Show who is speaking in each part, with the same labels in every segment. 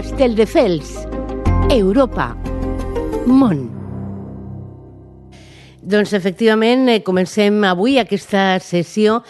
Speaker 1: Castelldefels, Europa, món. Doncs efectivament comencem avui aquesta secció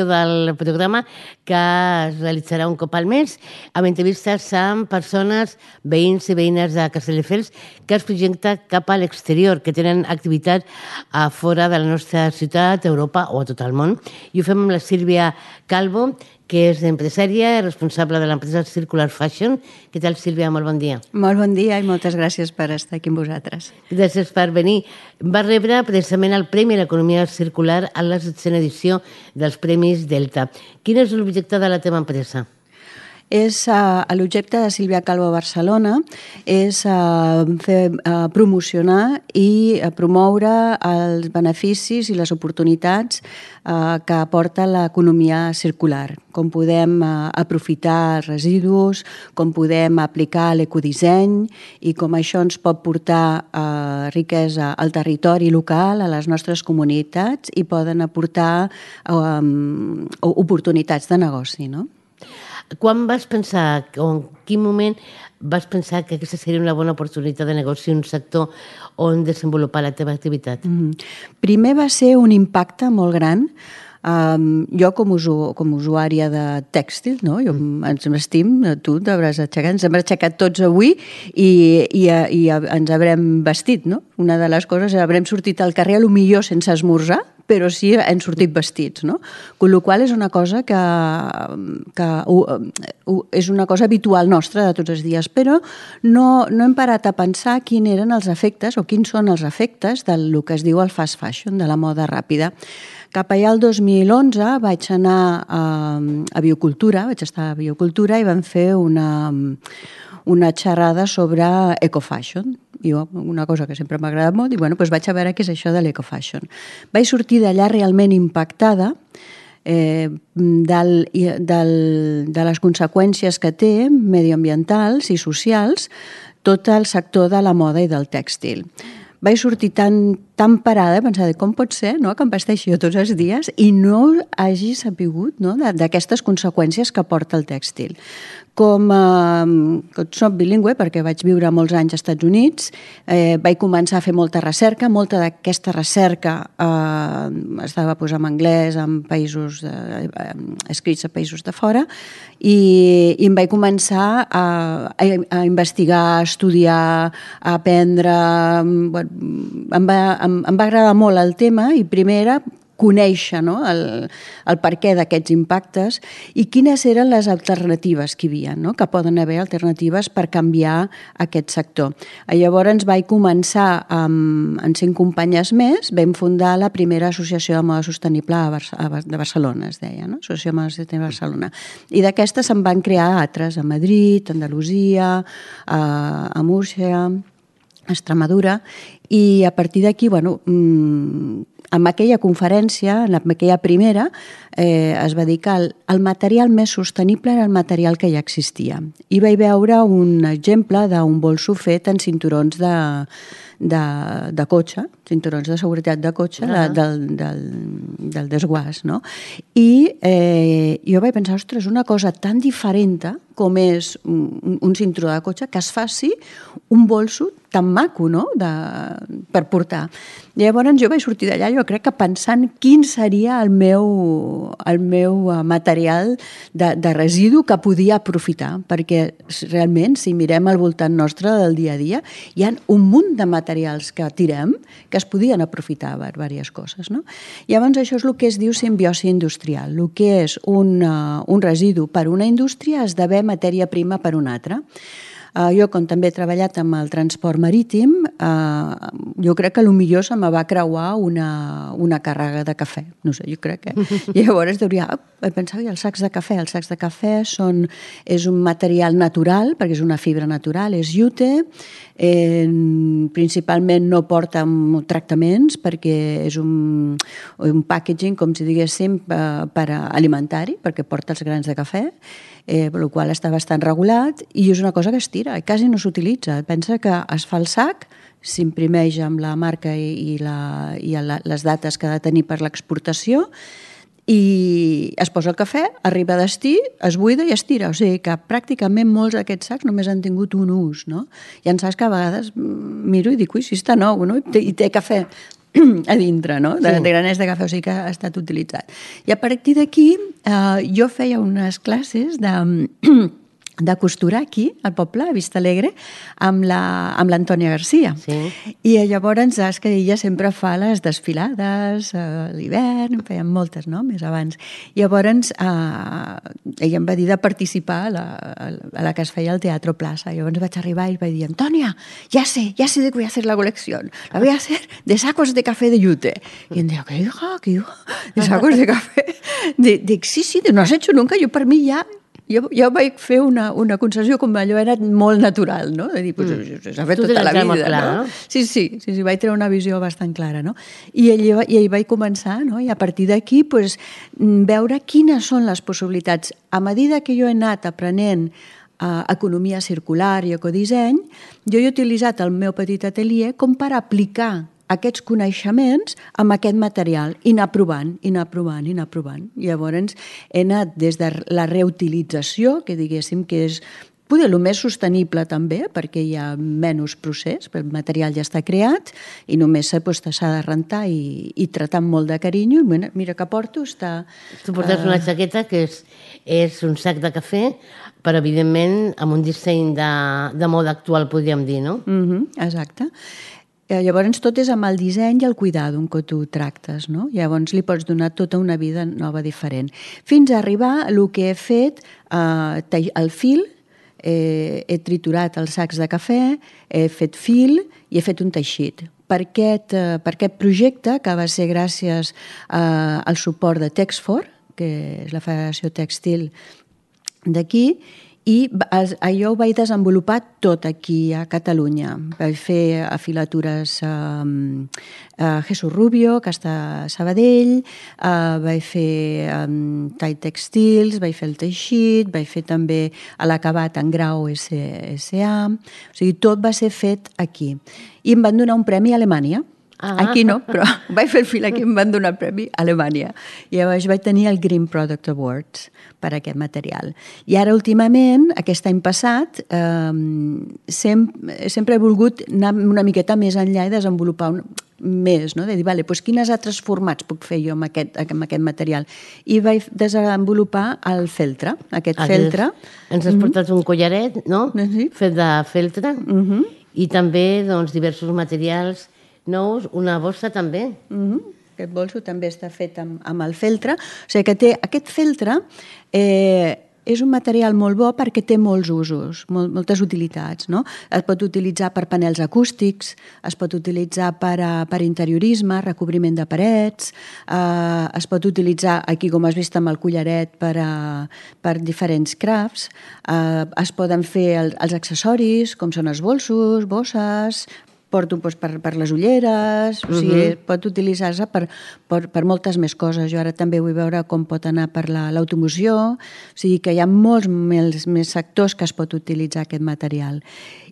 Speaker 1: del programa que es realitzarà un cop al mes amb entrevistes amb persones, veïns i veïnes de Castelldefels que es projecta cap a l'exterior, que tenen activitat a fora de la nostra ciutat, Europa o a tot el món. I ho fem amb la Sílvia Calvo, que és empresària i responsable de l'empresa Circular Fashion. Què tal, Sílvia? Molt bon dia.
Speaker 2: Molt bon dia i moltes gràcies per estar aquí amb vosaltres.
Speaker 1: Gràcies per venir. Va rebre precisament el Premi a l'Economia Circular a la 7ª edició dels Premis Delta. Quin és l'objecte de la teva empresa?
Speaker 2: L'objecte de Sílvia Calvo a Barcelona és promocionar i promoure els beneficis i les oportunitats que aporta l'economia circular, com podem aprofitar residus, com podem aplicar l'ecodisseny i com això ens pot portar riquesa al territori local, a les nostres comunitats i poden aportar oportunitats de negoci, no?
Speaker 1: Quan vas pensar, o en quin moment vas pensar que aquesta seria una bona oportunitat de negoci, un sector on desenvolupar la teva activitat?
Speaker 2: Primer va ser un impacte molt gran. Jo com usuària de tèxtil, no? Ens vestim, tu t'hauràs aixecat, ens hem aixecat tots avui i ens haurem vestit, no? Una de les coses és haurem sortit al carrer potser sense esmorzar, però sí hem sortit vestits, no? Con la qual és una cosa que és una cosa habitual nostra de tots els dies, però no hem parat a pensar quins eren els efectes o quins són els efectes del que es diu el fast fashion, de la moda ràpida. Cap allà el 2011 vaig anar a Biocultura, vaig estar a Biocultura i vam fer una xerrada sobre ecofashion. Jo, una cosa que sempre m'ha agradat molt, i doncs vaig a veure què és això de l'ecofashion. Vaig sortir d'allà realment impactada de les conseqüències que té mediambientals i socials tot el sector de la moda i del tèxtil. Vaig sortir tan parada, pensar com pot ser que em vesteixi jo tots els dies i no hagi sapigut d'aquestes conseqüències que porta el tèxtil. Com soc bilingüe, perquè vaig viure molts anys als Estats Units, vaig començar a fer molta recerca. Molta d'aquesta recerca estava en anglès, en països escrits a països de fora, i em vaig començar a investigar, a estudiar, a aprendre. Em va agradar molt el tema i primer era conèixer el perquè d'aquests impactes i quines eren les alternatives que hi havia, que poden haver alternatives per canviar aquest sector. Llavors vaig començar amb 5 companyes més, vam fundar la primera associació de moda sostenible de Barcelona, es deia, Associació de moda sostenible de Barcelona. I d'aquestes se'n van crear altres a Madrid, a Andalusia, a Múrcia, a Extremadura, i a partir d'aquí, en aquella conferència, en aquella primera, es va dir que el material més sostenible era el material que ja existia. I vaig veure un exemple d'un bolso fet en cinturons de cotxe, cinturons de seguretat de cotxe, del desguàs, no? I jo vaig pensar, ostres, una cosa tan diferent com és un cinturó de cotxe, que es faci un bolso tan maco, no?, per portar. Llavors jo vaig sortir d'allà, jo crec que pensant quin seria el meu material de residu que podia aprofitar, perquè realment, si mirem al voltant nostre del dia a dia, hi ha un munt de materials que tirem que es podien aprofitar per diverses coses, no? Llavors això és el que es diu simbiosi industrial. El que és un residu per una indústria esdevé matèria prima per una altra. Jo, com també he treballat amb el transport marítim, jo crec que potser se me va creuar una càrrega de cafè. No sé, jo crec que... Llavors pensava, els sacs de cafè. Els sacs de cafè és un material natural, perquè és una fibra natural, és jute, principalment no porta tractaments, perquè és un packaging, com si diguéssim, per alimentari, perquè porta els grans de cafè, per la qual està bastant regulat, i és una cosa que es tira, quasi no s'utilitza. Pensa que es fa el sac, s'imprimeix amb la marca i les dates que ha de tenir per l'exportació, i es posa el cafè, arriba a destí, es buida i es tira. O sigui que pràcticament molts d'aquests sacs només han tingut un ús, no? Hi ha sacs que a vegades miro i dic, ui, si està nou, no? I té cafè a dintre, no? De graners de cafè, o sigui que ha estat utilitzat. I a partir d'aquí jo feia unes classes de costurar aquí, al poble, a Vista Alegre, amb l'Antònia Garcia.
Speaker 1: Sí.
Speaker 2: I llavors, saps que ella sempre fa les desfilades a l'hivern, feien moltes, no?, més abans. Llavors, ella em va dir de participar a la que es feia al Teatro Plaza. Llavors vaig arribar i vaig dir, Antònia, ya sé de qué voy a hacer la colección. La voy a hacer de sacos de café de yute. Y em deia, ¿qué hija? ¿De sacos de café? Dic, sí, no has hecho nunca. Jo, per mi, ja... Jo vaig fer una concessió com allò era molt natural, no? De dir, s'ha fet tota la vida, no? Sí, vaig treure una visió bastant clara, no? I ell vaig començar, no? I a partir d'aquí, veure quines són les possibilitats. A mesura que jo he anat aprenent economia circular i ecodisseny, jo he utilitzat el meu petit atelier com per aplicar aquests coneixements amb aquest material i anar provant. Llavors he anat des de la reutilització, que diguéssim que és poder el més sostenible també, perquè hi ha menys procés, el material ja està creat i només s'ha de rentar i tratar amb molt de carinyo. I mira que porto, està...
Speaker 1: Tu portes una jaqueta que és un sac de cafè, però evidentment amb un disseny de moda actual, podríem dir, no?
Speaker 2: Exacte. Llavors tot és amb el disseny i el cuidado amb què tu tractes, no? Llavors li pots donar tota una vida nova diferent. Fins a arribar a el que he fet, el fil, he triturat els sacs de cafè, he fet fil i he fet un teixit. Per aquest projecte, que va ser gràcies al suport de Texfor, que és la Federació Tèxtil d'aquí, i jo ho vaig desenvolupar tot aquí a Catalunya. Vaig fer afilatures a Jesús Rubio, que està a Sabadell, vaig fer tall tèxtils, vaig fer el teixit, vaig fer també l'acabat en grau SA. O sigui, tot va ser fet aquí. I em van donar un premi a Alemanya. Aquí no, però vaig fer el fil aquí i em van donar el premi a Alemanya. I llavors vaig tenir el Green Product Awards per aquest material. I ara, últimament, aquest any passat, sempre he volgut anar una miqueta més enllà i desenvolupar més, no? De dir, vale, quines altres formats puc fer jo amb aquest material? I vaig desenvolupar el feltre, aquest feltre.
Speaker 1: Ens has portat un collaret, no?
Speaker 2: Sí.
Speaker 1: Fet de feltre. I també diversos materials nous, una bossa també.
Speaker 2: Aquest bolso també està fet amb el feltre. O sigui que aquest feltre és un material molt bo perquè té molts usos, moltes utilitats, no? Es pot utilitzar per panels acústics, es pot utilitzar per interiorisme, recobriment de parets, es pot utilitzar, aquí com has vist amb el collaret, per diferents crafts, es poden fer els accessoris, com són els bolsos, bosses, porto per les ulleres, o sigui, pot utilitzar-se per moltes més coses. Jo ara també vull veure com pot anar per l'automoció, o sigui que hi ha molts més sectors que es pot utilitzar aquest material.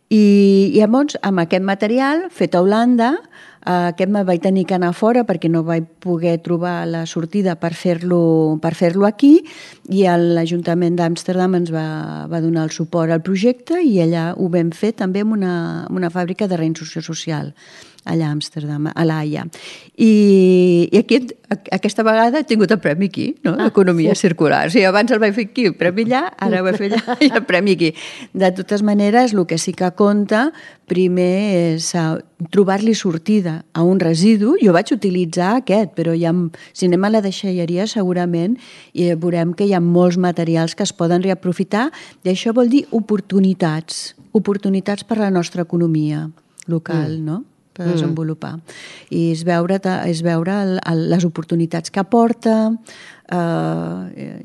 Speaker 2: I llavors, amb aquest material, fet a Holanda, aquest me vaig tenir que anar fora perquè no vaig poder trobar la sortida per fer-lo aquí, i l'Ajuntament d'Amsterdam ens va donar el suport al projecte i allà ho vam fer també amb una fàbrica de reinserció social allà a Amsterdam, a l'Haia. I aquesta vegada he tingut el premi aquí, no? L'economia circular. O sigui, abans el vaig fer aquí, el premi allà, ara ho vaig fer allà i el premi aquí. De totes maneres, el que sí que compta primer és trobar-li sortida a un residu. Jo vaig utilitzar aquest, però si anem a la deixalleria segurament veurem que hi ha molts materials que es poden reaprofitar, i això vol dir oportunitats per a la nostra economia local, no? Per desenvolupar. I és veure les oportunitats que aporta,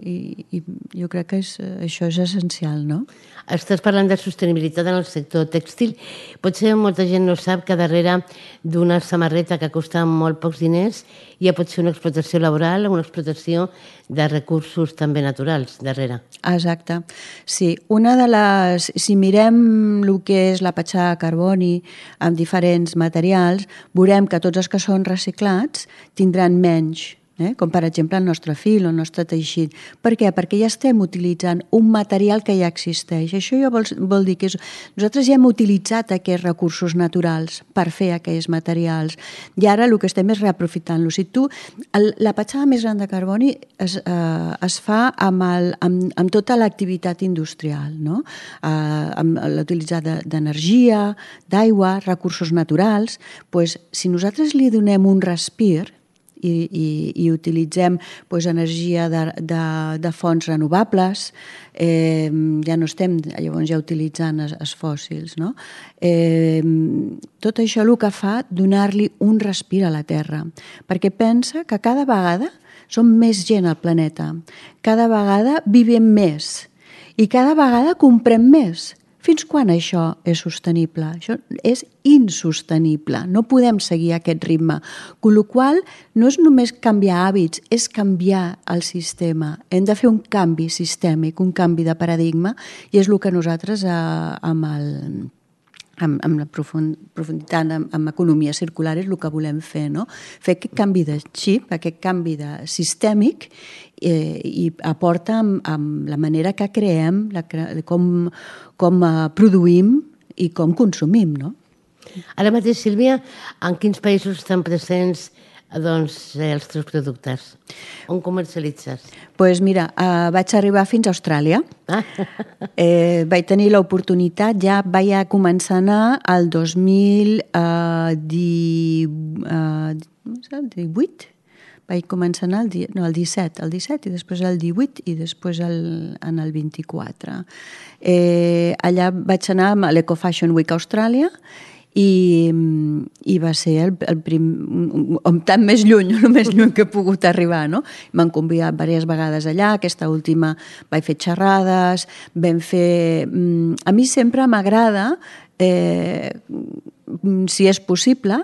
Speaker 2: i jo crec que això és essencial, no?
Speaker 1: Estàs parlant de sostenibilitat en el sector tèxtil. Potser molta gent no sap que darrere d'una samarreta que costa molt pocs diners ja pot ser una explotació laboral o una explotació de recursos també naturals darrere.
Speaker 2: Exacte. Sí, si mirem el que és la petjada de carboni amb diferents materials, veurem que tots els que són reciclats tindran menys com per exemple el nostre fil o el nostre teixit. Per què? Perquè ja estem utilitzant un material que ja existeix. Això ja vol dir que nosaltres ja hem utilitzat aquests recursos naturals per fer aquells materials i ara el que estem és reaprofitant-los. La petjada més gran de carboni es fa amb tota l'activitat industrial, no? Amb l'utilitzar d'energia, d'aigua, recursos naturals. Si nosaltres li donem un respir i utilitzem energia de fonts renovables, ja no estem llavors ja utilitzant els fòssils, no? Tot això el que fa donar-li un respir a la Terra, perquè pensa que cada vegada som més gent al planeta, cada vegada vivim més i cada vegada comprem més. Fins quan això és sostenible? Això és insostenible. No podem seguir aquest ritme. Amb la qual cosa, no és només canviar hàbits, és canviar el sistema. Hem de fer un canvi sistèmic, un canvi de paradigma, i és el que nosaltres amb la profunditat en economia circular és el que volem fer, no? Fer aquest canvi de xip, aquest canvi de sistèmic, i aporta amb la manera que creem, com produïm i com consumim, no?
Speaker 1: Ara mateix, Sílvia, en quins països estan presents els teus productes? On comercialitzes?
Speaker 2: Doncs mira, vaig arribar fins a Austràlia. Vaig tenir l'oportunitat, ja vaig començar a anar el 2018. Vaig començar a anar el 17 i després el 18 i després en el 24. Allà vaig anar a l'Eco Fashion Week a Austràlia i va ser el tant més lluny, el més lluny que he pogut arribar, no? M'han convidat diverses vegades allà, aquesta última vaig fer xerrades, vam fer... A mi sempre m'agrada, si és possible,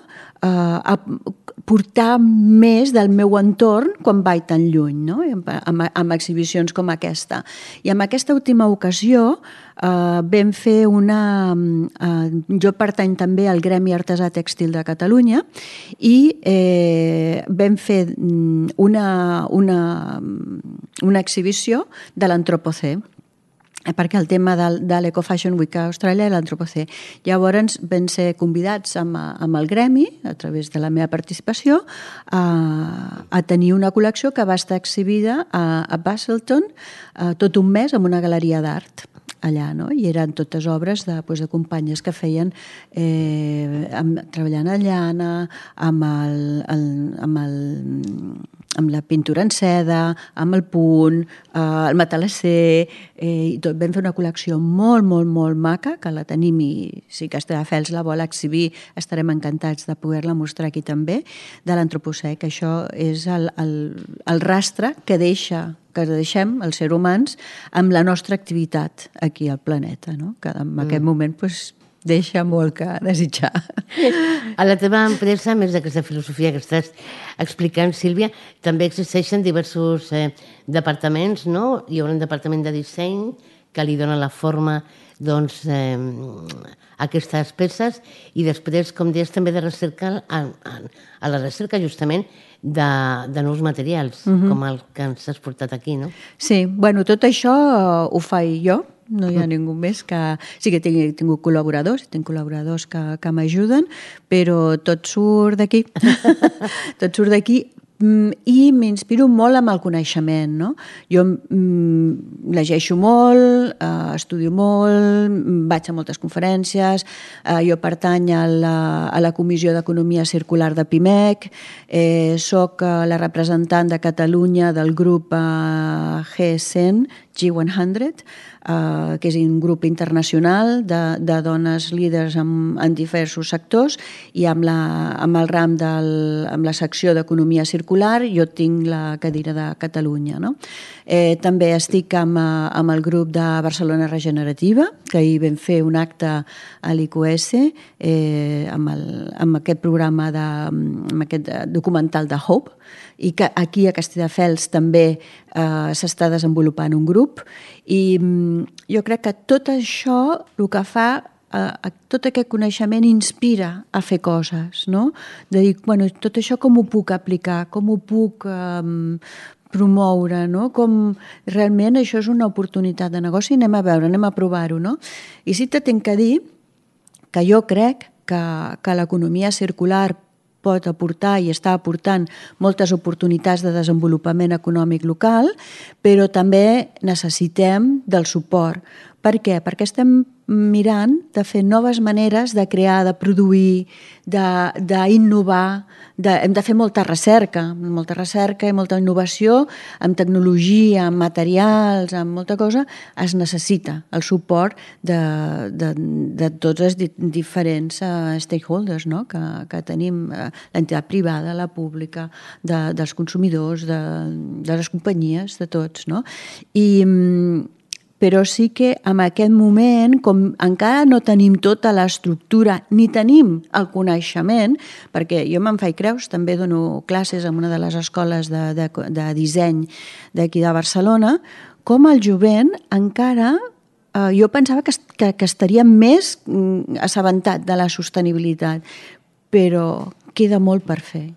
Speaker 2: portar més del meu entorn quan vaig tan lluny, no? Amb exhibicions com aquesta. I en aquesta última ocasió vam fer jo pertany també al Gremi Artesà Tèxtil de Catalunya i vam fer una exhibició de l'Antropocè, perquè el tema de l'Eco Fashion Week a Austràlia és l'Antropocè. Llavors vam ser convidats amb el gremi, a través de la meva participació, a tenir una col·lecció que va estar exhibida a Busselton tot un mes en una galeria d'art allà, no? I eren totes obres de companyes que feien treballant a llana, amb la pintura en seda, amb el punt, el matalasser, i tot. Vam fer una col·lecció molt, molt, molt maca, que la tenim i si Castelldefels la vol exhibir estarem encantats de poder-la mostrar aquí també, de l'Antropocè, que això és el rastre que deixem els seres humans amb la nostra activitat aquí al planeta, no? Que en aquest moment deixa molt que desitjar.
Speaker 1: A la teva empresa, a més d'aquesta filosofia que estàs explicant, Sílvia, també existeixen diversos departaments, no? Hi haurà un departament de disseny que li dona la forma a aquestes peces i després, com deies, també de recerca, a la recerca justament de nous materials, com el que ens has portat aquí, no?
Speaker 2: Sí, bueno, tot això ho faig jo, no hi ha ningú més que... Sí que tinc col·laboradors, tinc col·laboradors que m'ajuden, però tot surt d'aquí. Tot surt d'aquí i m'inspiro molt amb el coneixement, no? Jo llegeixo molt, estudio molt, vaig a moltes conferències, jo pertany a la Comissió d'Economia Circular de PIMEC, soc la representant de Catalunya del grup G100, G100, que és un grup internacional de dones líders en diversos sectors i amb el ram amb la secció d'Economia Circular jo tinc la cadira de Catalunya, no? També estic amb el grup de Barcelona Regenerativa, que ahir vam fer un acte a l'IQS amb aquest programa, amb aquest documental de Hope, i que aquí a Castelldefels també s'està desenvolupant un grup i jo crec que tot això el que fa tot aquest coneixement inspira a fer coses, no? De dir, bueno, tot això com ho puc aplicar, com ho puc promoure, no? Com realment això és una oportunitat de negoci, anem a veure, anem a provar-ho, no? I sí que tinc que dir que jo crec que l'economia circular pot aportar i està aportant moltes oportunitats de desenvolupament econòmic local, però també necessitem del suport. Per què? Perquè estem mirant de fer noves maneres de crear, de produir, d'innovar. Hem de fer molta recerca i molta innovació amb tecnologia, amb materials, amb molta cosa. Es necessita el suport de tots els diferents stakeholders, no? que tenim, l'entitat privada, la pública, dels consumidors, de les companyies, de tots. No? Però sí que en aquest moment, com encara no tenim tota l'estructura ni tenim el coneixement, perquè jo me'n faig creus, també dono classes en una de les escoles de disseny d'aquí de Barcelona, com el jovent encara jo pensava que estaria més assabentat de la sostenibilitat, però queda molt per fer,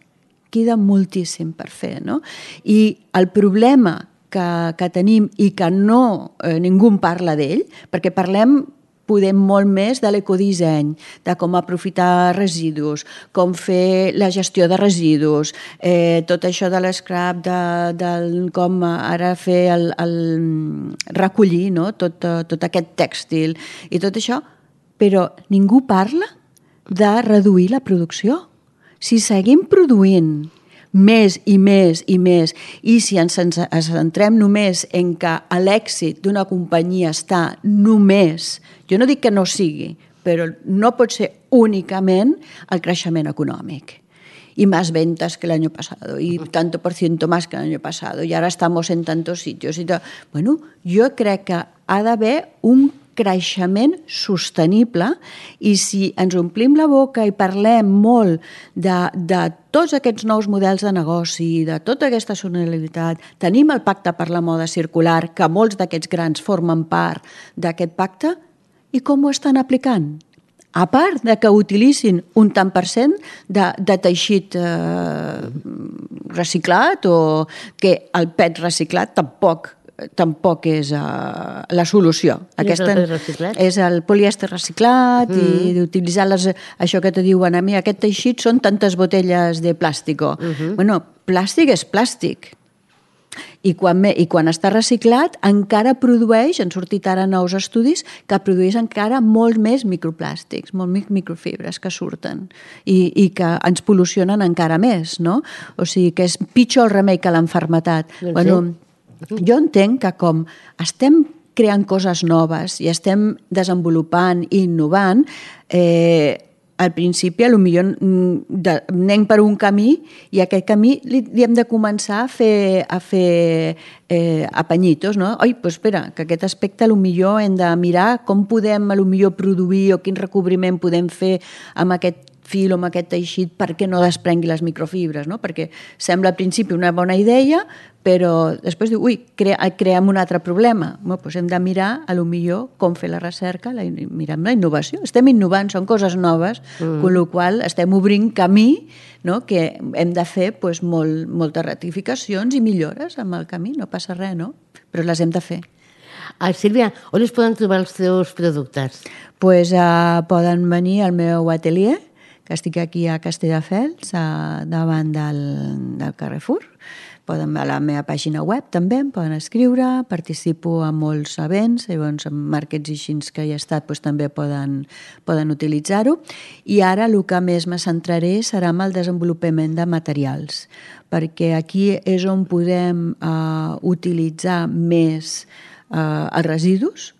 Speaker 2: queda moltíssim per fer, no? I el problema que tenim i que ningú en parla d'ell, perquè podem molt més de l'ecodisseny, de com aprofitar residus, com fer la gestió de residus, tot això de l'escrap, com ara fer recollir, no? tot aquest tèxtil i tot això, però ningú parla de reduir la producció. Si seguim produint més i més i més, i si ens centrem només en que l'èxit d'una companyia està només, jo no dic que no sigui, però no pot ser únicament el creixement econòmic. Y más ventas que el año pasado, y tanto por ciento más que el año pasado, y ahora estamos en tantos sitios. Bueno, jo crec que ha d'haver un creixement sostenible, i si ens omplim la boca i parlem molt de tots aquests nous models de negoci, de tota aquesta sostenibilitat, tenim el pacte per la moda circular, que molts d'aquests grans formen part d'aquest pacte, i com ho estan aplicant? A part de que utilitzin un tant per cent de teixit reciclat, o que el PET reciclat tampoc és la solució. És el polièster reciclat, i d'utilitzar això que te diuen a mi, aquest teixit són tantes botelles de plàstic. Bueno, plàstic és plàstic. I quan està reciclat encara produeix, han sortit ara nous estudis, que produeix encara molt més microplàstics, molt més microfibres que surten i que ens pol·lucionen encara més, no? O sigui que és pitjor el remei que l'enfermetat. Bueno, jo entenc que com estem creant coses noves i estem desenvolupant i innovant, al principi potser anem per un camí, i aquest camí li hem de començar a fer apanyitos, no? Oi, doncs espera, que aquest aspecte potser hem de mirar com podem potser produir, o quin recobriment podem fer amb aquest fil o amb aquest teixit perquè no desprengui les microfibres, no? Perquè sembla al principi una bona idea, però després diu, creem un altre problema. Doncs hem de mirar potser com fer la recerca, mirem la innovació. Estem innovant, són coses noves, amb la qual cosa estem obrint camí, no? Que hem de fer moltes ratificacions i millores amb el camí, no passa res, no? Però les hem de fer.
Speaker 1: Sílvia, on es poden trobar els teus productes?
Speaker 2: Poden venir al meu atelier, que estic aquí a Castelldefels, davant del Carrefour. Poden a la meva pàgina web també, em poden escriure, participo en molts events, llavors en markets i així que hi he estat també poden utilitzar-ho. I ara el que més me centraré serà en el desenvolupament de materials, perquè aquí és on podem utilitzar més els residus,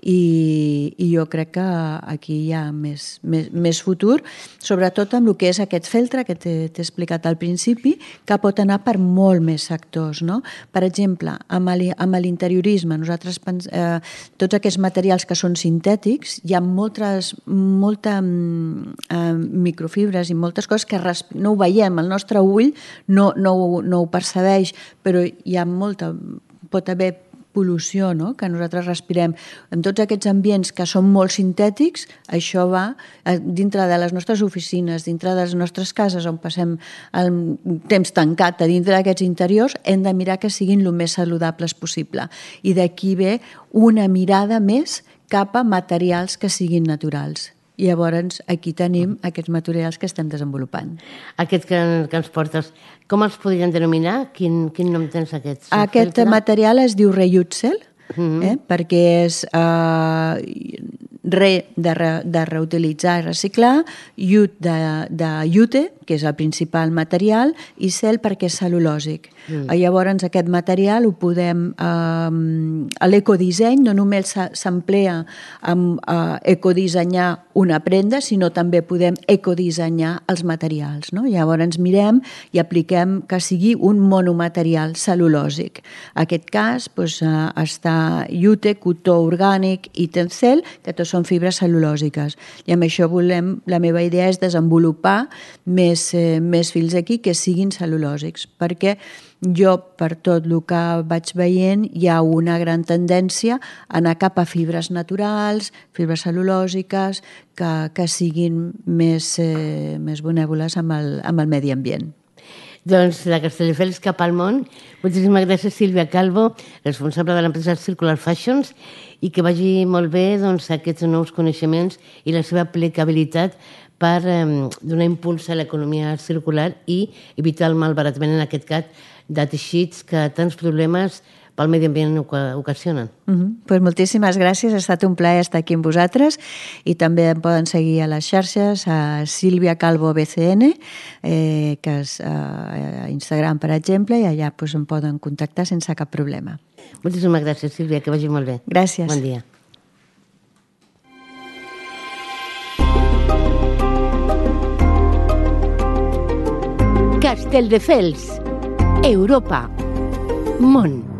Speaker 2: i jo crec que aquí hi ha més futur, sobretot amb el que és aquest feltre que t'he explicat al principi, que pot anar per molt més sectors, no? Per exemple, amb l'interiorisme, nosaltres tots aquests materials que són sintètics, hi ha moltes microfibres i moltes coses que no ho veiem, el nostre ull no ho percebeix, però hi ha pot haver pol·lució, no?, que nosaltres respirem, en tots aquests ambients que són molt sintètics, això va dintre de les nostres oficines, dintre de les nostres cases on passem el temps tancat a dintre d'aquests interiors, hem de mirar que siguin el més saludables possible. I d'aquí ve una mirada més cap a materials que siguin naturals. I llavors aquí tenim aquests materials que estem desenvolupant.
Speaker 1: Aquests que ens portes, com els podrien denominar? Quin nom tens aquests?
Speaker 2: Aquest material es diu Reutzel, perquè és de reutilitzar i reciclar, iut de iute, que és el principal material, i cel perquè és cel·lulòsic. Llavors aquest material ho podem... L'ecodisseny no només s'emplea amb ecodissenyar una prenda, sinó també podem ecodissenyar els materials. Llavors mirem i apliquem que sigui un monomaterial cel·lulòsic. En aquest cas està iute, cotó orgànic i tencel, que tots són fibres cel·lulòsiques. I amb això la meva idea és desenvolupar més fils aquí que siguin cel·lulòsics, perquè jo, per tot el que vaig veient, hi ha una gran tendència a anar cap a fibres naturals, fibres cel·lulòsiques, que siguin més benèvoles amb el medi ambient.
Speaker 1: Doncs de Castelldefels cap al món. Moltíssimes gràcies, Sílvia Calvo, responsable de l'empresa Circular Fashions, i que vagi molt bé aquests nous coneixements i la seva aplicabilitat per donar impuls a l'economia circular i evitar el malbaratament, en aquest cas, de teixits que tants problemes pel medi ambient ocasionen.
Speaker 2: Moltíssimes gràcies, ha estat un plaer estar aquí amb vosaltres, i també em poden seguir a les xarxes, a Sílvia Calvo BCN, que és a Instagram, per exemple, i allà em poden contactar sense cap problema.
Speaker 1: Moltíssimes gràcies, Sílvia, que vagi molt bé.
Speaker 2: Gràcies.
Speaker 1: Bon dia. Castelldefels, Europa, món.